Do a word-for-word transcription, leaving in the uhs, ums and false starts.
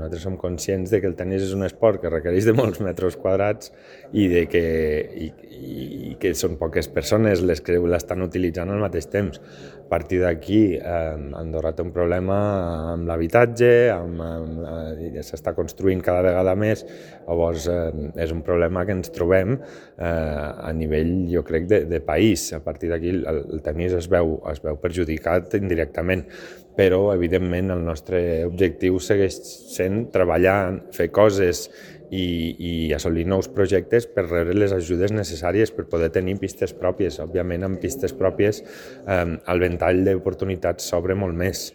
Nosaltres som conscients de que el tenis és un esport que requereix de molts metres quadrats i, de que, i, i que són poques persones les que l'estan utilitzant al mateix temps. A partir d'aquí, eh, Andorra té un problema amb l'habitatge, amb, amb, eh, s'està construint cada vegada més, llavors eh, és un problema que ens trobem eh, a nivell, jo crec, de, de país. A partir d'aquí el, el tenis es veu, es veu perjudicat indirectament, però evidentment el nostre objectiu segueix sent treballar, fer coses i, i assolir nous projectes per rebre les ajudes necessàries per poder tenir pistes pròpies. Òbviament, amb pistes pròpies eh, el ventall d'oportunitats s'obre molt més.